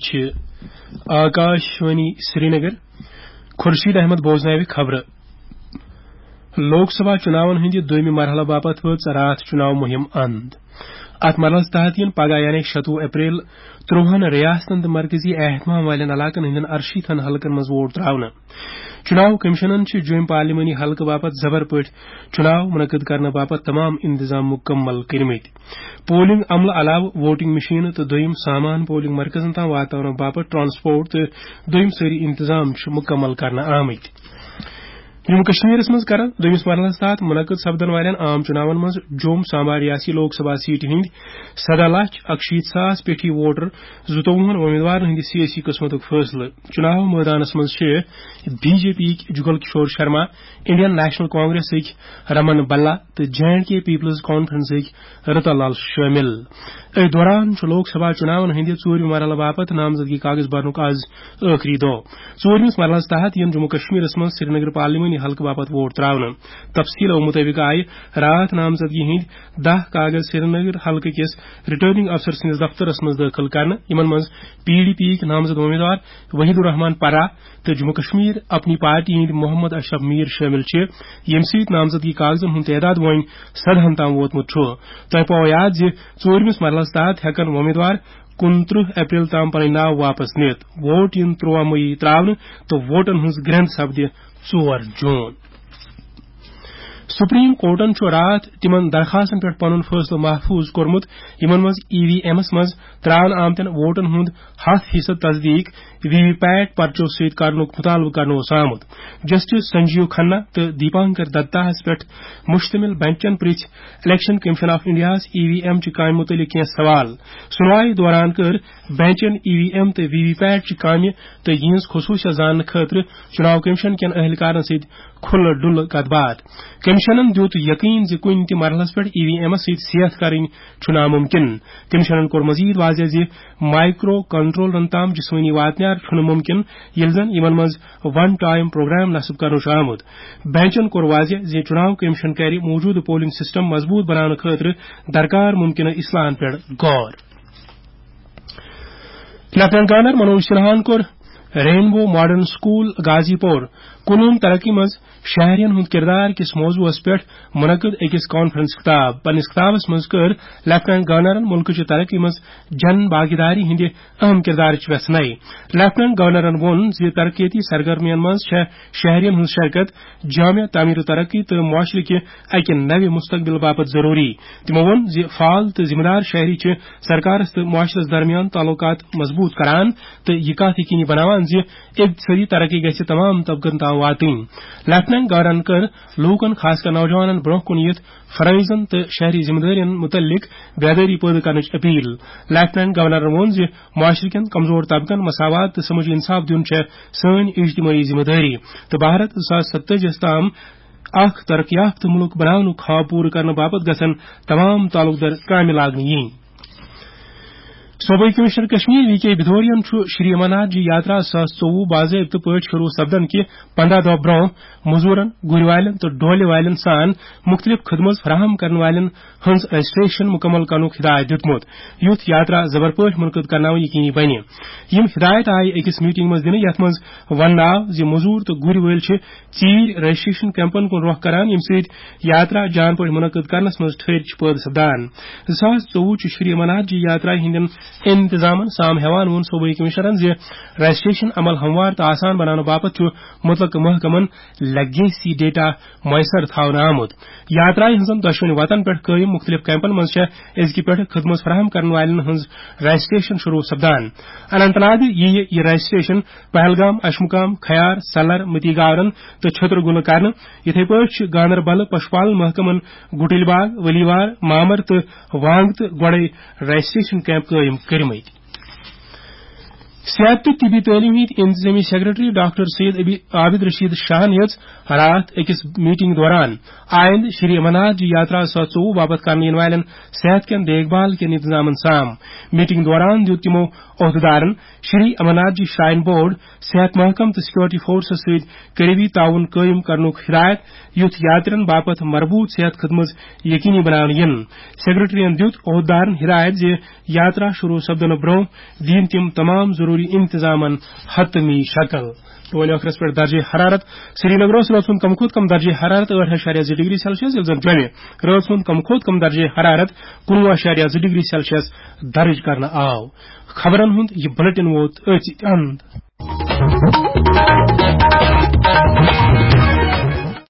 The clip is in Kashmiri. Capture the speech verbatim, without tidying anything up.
چھِ آکاشوانی سرینگر۔ خورشید احمد بوزناوِ خبرٕ۔ لوک سبھا چُناون ہٕنٛدِ دوٚیمہِ مرحلہٕ باپتھ وٲژ راتھ چُناو مُہِم اند۔ اتھ مرحلس تحت یِن پگاہ یعنی شتوُہ اپریل ترٛوہن ریاستن تہٕ مرکزی اہتمام والٮ۪ن علاقن ہٕنٛدٮ۪ن ارشیٖتھن حلقن منٛز ووٹ تراونہٕ۔ چُناو کمیشنن چھِ جوٚمۍ پارلیمانی حلقہٕ باپتھ زبر پٲٹھۍ چُناو منعقد کرنہٕ باپتھ تمام انتظام مُکمل کٔرمٕتۍ۔ پولنگ عملہٕ علاوٕ ووٹنگ مشینہٕ تہٕ دوٚیِم سامان پولنگ مرکزن تام واتناونہٕ باپتھ ٹرانسپورٹ تہٕ دوٚیِم سٲری انتظام چھِ مُکمل کرنہٕ آمٕتۍ۔ جموں کشمیرس منٛز کرن دوٚیمِس مرحلس تحت منعقد سپدن والٮ۪ن عام چُناون منٛز جوٚم سانبا ریاسی لوک سبھا سیٹہِ ہٕنٛدۍ سداہ لچھ اکشیٖتھ ساس پیٹھی ووٹر زٕتووُہن وۄمیدوارن ہٕنٛدِ سیٲسی قٕسمتُک فٲصلہٕ۔ چُناو مٲدانس منٛز چھِ بی جے پی یِکۍ جُگل کشور شرما، انڈین نیشنل کانگریسٕکۍ رمن بلا تہٕ جے اینڈ کے پیپلز کانفرنسٕکۍ رتن لال شٲمِل۔ أتھۍ دوران چھُ لوک سبھا چُناون ہٕنٛدِ ژوٗرمہِ مرحلہٕ باپتھ نامزدگی کاغذ برنُک آز ٲخری دۄہ۔ ژوٗرمِس مرحلس تحت یِن جموں کشمیرس منٛز سرینگر پارلیمانی حلقہٕ باپتھ ووٹ تراونہٕ۔ تفصیلو مُطٲبِق آیہِ راتھ نامزدگی ہٕنٛدۍ دَہ کاغذ سرینگر حلقہٕ کِس ریٹرننگ افسر سٕنٛدِس دفترس منٛز دٲخل کرنہٕ، یِمن منٛز پی ڈی پی یِکۍ نامزد امیدوار وحید الرحمان پرا تہٕ جموں کشمیر اپنی پارٹی ہٕنٛدۍ محمد اشرف میر شٲمِل چھِ، ییٚمہِ سۭتۍ نامزدگی کاغذن ہُنٛد تعداد وۄنۍ سدہن تام ووتمُت چھُ۔ تۄہہِ پاوو یاد زِ ژوٗرمِس مرحلس تحت ہٮ۪کن وۄمیدوار کُنترٕہ اپریل تام پنٕنۍ ناو واپس نِتھ۔ ووٹ یِن ترٛوہ مئی تراونہٕ تہٕ ووٹن ہٕنٛز گرٛنٛد سپدِ ژور جوٗن۔ سپریم کورٹن چھُ راتھ تِمن درخاستن پٮ۪ٹھ پنُن فٲصلہٕ محفوظ کوٚرمُت، یِمن منٛز ای وی ایمس منٛز ترٛاونہٕ آمتٮ۪ن ووٹن ہُنٛد ہَتھ فیصد تصدیق وی وی پیٹ پرچو سۭتۍ کرنُک مطالبہٕ کرنہٕ اوس آمُت۔ جسٹس سنجیو کھنہ تہٕ دیپانکر دتاہس پٮ۪ٹھ مشتمل بنچن پرژھ الیکشن کمیشن آف انڈیاہس ای وی ایم چہِ کامہِ مُتعلق کینٛہہ سوال۔ سُنوایہِ دوران کٔر بنچن ای وی ایم تہٕ وی وی پیٹ چہِ کامہِ تہٕ یِہنٛز خصوٗصیت زاننہٕ خٲطرٕ چُناو کمیشن کٮ۪ن اہلکارن سۭتۍ کھُلہٕ ڈُلہٕ کتھ باتھ۔ کمیشنن دیُت یقین زِ کُنہِ تہِ مرحلس پٮ۪ٹھ ای وی ایمس سۭتۍ سیتھ کرٕنۍ چھُ ناممکن۔ کمیشنن کوٚر مزید واضح زِ مائیکرو کنٹرولرن تام جسمٲنی واتنیار چھُنہٕ ممکن، ییٚلہِ زن یِمن منٛز ون ٹائم پروگرام نصب کرنہٕ چھُ آمُت۔ بینچن کوٚر واضح زِ چُناو کمیشن کرِ موجودٕ پولنگ سسٹم مضبوط بناونہٕ خٲطرٕ درکار ممکنہ اصلاحن پٮ۪ٹھ غور۔ لیفٹیننٹ گورنر منوج سنہاہن کوٚر رینبو ماڈرن سکول غازی پور کُنوُہن ترقی منٛز شہرین ہُنٛد کردار کِس موضوعس پٮ۪ٹھ منعقد أکِس کانفرنس خطاب۔ پننِس خطابس منٛز کٔر لیفٹیننٹ گورنرن مُلکٕچہِ ترقی منٛز جن بھاگیداری ہٕنٛدِ اہم کردارٕچ ویژھنائی۔ لیفٹیننٹ گورنرن ووٚن زِ ترقیتی سرگرمین منٛز چھےٚ شہرین ہٕنٛز شرکت جامع تعمیر و ترقی تہٕ معاشرٕ کہِ اکہِ نوِ مستقبل باپتھ ضروری۔ تِمو ووٚن زِ فعال تہٕ ذمہٕ دار شہری چھِ سرکارس تہٕ معاشرس درمیان تعلقات مضبوط کران تہٕ یہِ کتھ یقینی بناوان زِ اقتصٲدی ترقی گژھِ تمام طبقن تام واتٕنۍ۔ لیفٹیننٹ گورنرن کٔر لوٗکن، خاص کر نوجوانن، برونٛہہ کُن یِتھ فرٲیضن تہٕ شہری ذمہٕ دٲرین مُتعلق بیدٲری پٲدٕ کرنٕچ اپیل۔ لیفٹیننٹ گورنرن ووٚن زِ معاشرٕ کٮ۪ن کمزور طبقن مساوات تہٕ سمٲجی انصاف دیُن چھےٚ سٲنۍ اجتمٲعی ذمہٕ دٲری تہٕ بھارت زٕ ساس ستٲجی تام اکھ ترقی یافتہٕ مُلک بناونُک خواب پوٗرٕ کرنہٕ باپتھ گژھن تمام تعلق دار کامہِ لاگنہٕ یِنۍ۔ صوبٲئی کمشنر کشمیر وی کے بھدورین چھُ شری امرناتھ جی یاترا زٕ ساس ژوٚوُہ باضٲبطہٕ پٲٹھۍ شروع سپدن کہِ پندہ دۄہ برونٛہہ مزورن، گُرۍ والٮ۪ن تہٕ ڈولہِ والٮ۪ن سان مُختٔلِف خدمژ فراہم کرن والٮ۪ن ہٕنٛز رجسٹریشن مُکمل کرنُک ہدایت دِیُتمُت، یُتھ یاترا زبر پٲٹھۍ منعقد کرناوٕنۍ یقینی بنہِ۔ یِم ہدایت آیہِ أکِس میٹنگ منٛز دِنہٕ، یتھ منٛز وننہٕ آو زِ مزور تہٕ گُرۍ وٲلۍ چھِ ژیٖرۍ رجسٹریشن کیمپن کُن رۄخ کران، ییٚمہِ سۭتۍ یاترا جان پٲٹھۍ منعقد کرنس منٛز ٹھٔہرۍ چھِ پٲدٕ سپدان۔ زٕ ساس ژوٚوُہ چہِ شری امرناتھ جی یاترا ہٕنٛدٮ۪ن انتظامن سام ہیوان ووٚن صوبٲئی کمشنرن زِ رجسٹریشن عمل ہموار تہٕ آسان بناونہٕ باپتھ چھُ مُتعلقہٕ محکمن لیگیسی ڈیٹا میسر تھاونہٕ آمُت۔ یاترایہِ ہٕنٛزن دۄشوٕنی وتن پٮ۪ٹھ قٲیِم مُختٔلِف کیمپن منٛز چھےٚ أزکہِ پٮ۪ٹھٕ خدمت فراہم کرن والٮ۪ن ہٕنٛز رجسٹریشن شروع سپدان۔ اننت ناگہٕ یِیہِ یہِ رجسٹریشن پہلگام، اشمُقام، کھیار، سلر، متی گاورن تہٕ چھترگُلہٕ کرنہٕ۔ یِتھے پٲٹھۍ چھِ گاندربل پشپال محکمن گُٹِلۍ باغ، ولیوار، مامر تہٕ وانگ تہٕ گۄڈے رجسٹریشن کیمپ قٲیِم کٔرمٕتۍ۔ صحت تہٕ طبی تعلیٖم ہٕنٛدۍ انتظٲمی سیکرٹری ڈاکٹر سید ابی-، عابد رشید شاہن ہیٚژ راتھ أکِس میٹنگ دوران آیندٕ شری امرناتھ جی یاترا زٕ ساس ژوٚوُہ باپتھ کرنہٕ یِنہٕ والٮ۪ن صحت کٮ۪ن دیکھ بھال کٮ۪ن انتظامن سام۔ میٹنگ دوران دیُت تِمو عہدٕدارن شری امرناتھ جی شراین بورڈ، صحت محکمہٕ تہٕ سیکورٹی فورسس سۭتۍ قریبی تعاون قٲیِم کرنُک ہدایت، یُتھ یاترین باپتھ مربوط صحت خدمت یقینی بناونہٕ یِن۔ سیکرٹریَن دیُت عہدٕدارن ہدایت زِ یاترا شروع سپدنہٕ برونٛہہ دِیِن تِم تمام ضروٗری انتظامن حتمی شکل۔ تہٕ وۄنۍ ٲخرس پٮ۪ٹھ درجہ حرارت۔ سرینگرس رٲژ ہُنٛد کم کھۄتہٕ کم درجہ حرارت ٲٹھ اَشاریہ زٕ ڈگری سیلسیس، ییٚلہِ زن جوٚمہِ رٲژ ہُنٛد کم کھۄتہٕ کم درجہ حرارت کُنوُہ اَشاریہ زٕ ڈگری سیلسیس درج کرنہٕ آو۔ خبرن ہُنٛد یہِ بلیٹن ووت أتھۍ اند۔